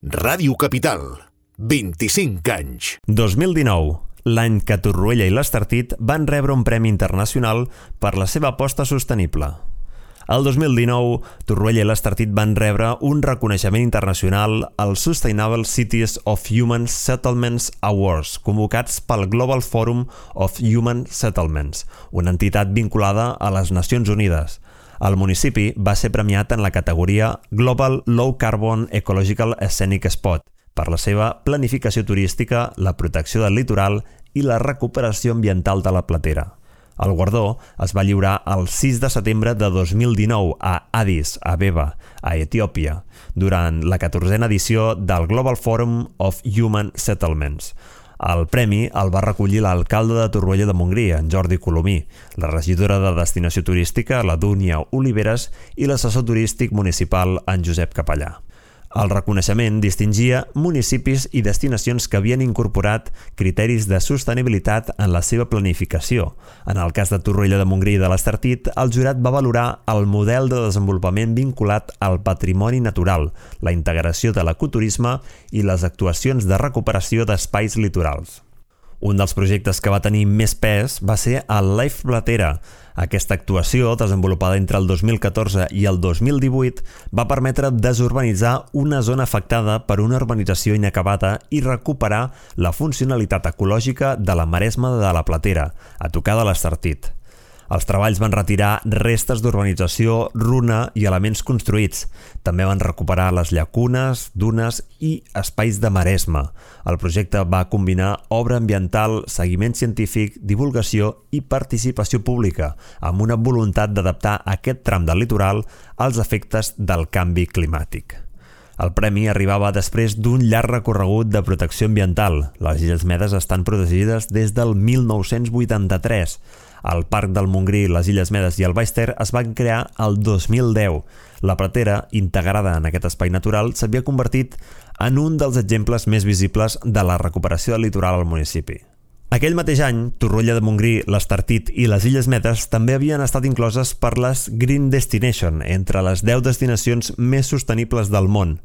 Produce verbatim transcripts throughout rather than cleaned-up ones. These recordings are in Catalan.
Ràdio Capital, vint-i-cinc anys. dos mil dinou, l'any que Torroella i l'Estartit van rebre un premi internacional per la seva aposta sostenible. El dos mil dinou, Torroella i l'Estartit van rebre un reconeixement internacional als Sustainable Cities of Human Settlements Awards, convocats pel Global Forum of Human Settlements, una entitat vinculada a les Nacions Unides. El municipi va ser premiat en la categoria Global Low Carbon Ecological Scenic Spot per la seva planificació turística, la protecció del litoral i la recuperació ambiental de la Platera. El guardó es va lliurar el sis de setembre de dos mil dinou a Addis Abeba, a Etiòpia, durant la catorzena edició del Global Forum of Human Settlements. El premi el va recollir l'alcalde de Torroella de Montgrí, en Jordi Colomí, la regidora de Destinació Turística, la Dúnia Oliveres, i l'assessor turístic municipal, en Josep Capellà. El reconeixement distingia municipis i destinacions que havien incorporat criteris de sostenibilitat en la seva planificació. En el cas de Torroella de Montgrí i de l'Estartit, el jurat va valorar el model de desenvolupament vinculat al patrimoni natural, la integració de l'ecoturisme i les actuacions de recuperació d'espais litorals. Un dels projectes que va tenir més pes va ser el Life Platera. Aquesta actuació, desenvolupada entre el dos mil catorze i el dos mil divuit, va permetre desurbanitzar una zona afectada per una urbanització inacabada i recuperar la funcionalitat ecològica de la maresma de la Platera, a tocar de l'Estartit. Els treballs van retirar restes d'urbanització, runa i elements construïts. També van recuperar les llacunes, dunes i espais de maresma. El projecte va combinar obra ambiental, seguiment científic, divulgació i participació pública, amb una voluntat d'adaptar aquest tram del litoral als efectes del canvi climàtic. El premi arribava després d'un llarg recorregut de protecció ambiental. Les Illes Medes estan protegides des del mil nou-cents vuitanta-tres. El Parc del Montgrí, les Illes Medes i el Baix Ter es van crear el dos mil deu. La Platera, integrada en aquest espai natural, s'havia convertit en un dels exemples més visibles de la recuperació del litoral al municipi. Aquell mateix any, Torroella de Montgrí, l'Estartit i les Illes Medes també havien estat incloses per les Green Destination, entre les deu destinacions més sostenibles del món.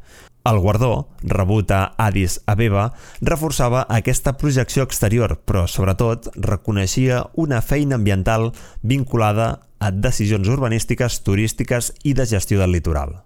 El guardó, rebut a Addis Abeba, reforçava aquesta projecció exterior, però sobretot reconeixia una feina ambiental vinculada a decisions urbanístiques, turístiques i de gestió del litoral.